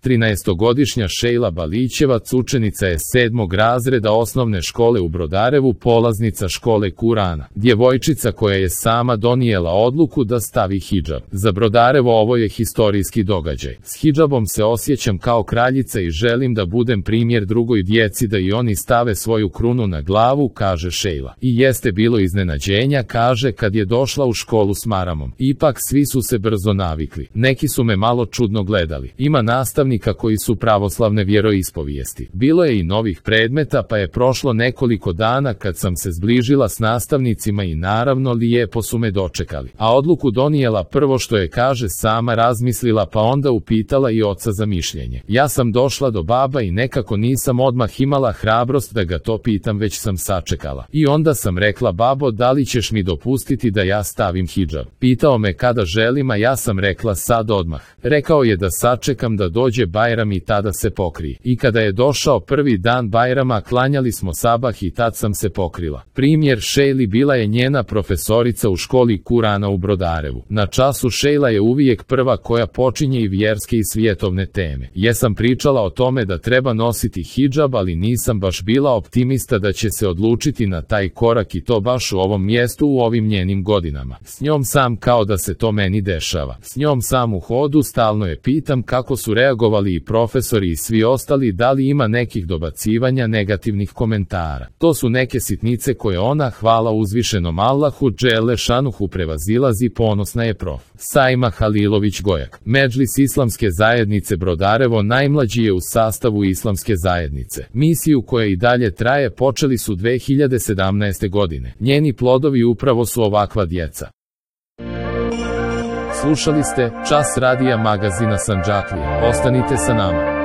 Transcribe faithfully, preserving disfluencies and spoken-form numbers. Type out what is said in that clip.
trinaestogodišnja Šejla Balićevac učenica je sedmog razreda osnovne škole u Brodarevu, polaznica škole Kurana. Djevojčica koja je sama donijela odluku da stavi hidžab. Za Brodarevo ovo je historijski događaj. S hidžabom se osjećam kao kraljica i želim da budem primjer drugoj djeci da i oni stave svoju krunu na glavu, kaže Šejla. I jeste bilo iznenađenja, kaže, kad je došla u školu s maramom. Ipak svi su se brzo navikli. Neki su me malo čudno gledali. Ima nastavnika koji su pravoslavne vjeroispovijesti. Bilo je i novih predmeta, pa je prošlo nekoliko dana kad sam se zbližila s nastavnicima i naravno lijepo su me dočekali. A odluku donijela prvo što je, kaže, sama razmislila, pa onda upitala i oca za mišljenje. Ja sam došla do baba i nekako nisam odmah imala hrabrost da ga to pitam, već sam sačekala. I onda sam rekla: babo, da li ćeš mi dopustiti da ja stavim hidžab? Pitao me kada želim, a ja sam rekla sad odmah. Rekao je da sačekam da dođe Bajram i tada se pokrije. I kada je došao prvi dan Bajrama, klanjali smo sabah i tad sam se pokrila. Primjer Šejli bila je njena profesorica u školi Kurana u Brodarevu. Na času Šejla je uvijek prva koja počinje i vjerske i svijetovne teme. Jesam pričala o tome da treba nositi hidžab, ali nisam baš bila optimista da će se odlučiti na taj korak i to baš u ovom mjestu u ovim njenim godinama. S njom sam kao da se to meni dešava. S njom sam u hodu stalno je pitam kako su reagovali i profesori i svi ostali, da li ima nekih dobacivanja, negativnih komentara. To su neke sitnice koje ona, hvala uzvišenom Allahu dželle šanuhu, prevazilazi, ponosna je prof. Sajma Halilović Gojak. Medžlis Islamske zajednice Brodarevo najmlađi je u sastavu Islamske zajednice. Misiju koja i dalje traje počeli su dve hiljade sedamnaeste. godine. Njeni plodovi upravo su ovakva djeca. Slušali ste Čas radija magazina Sandžaklija. Ostanite sa nama.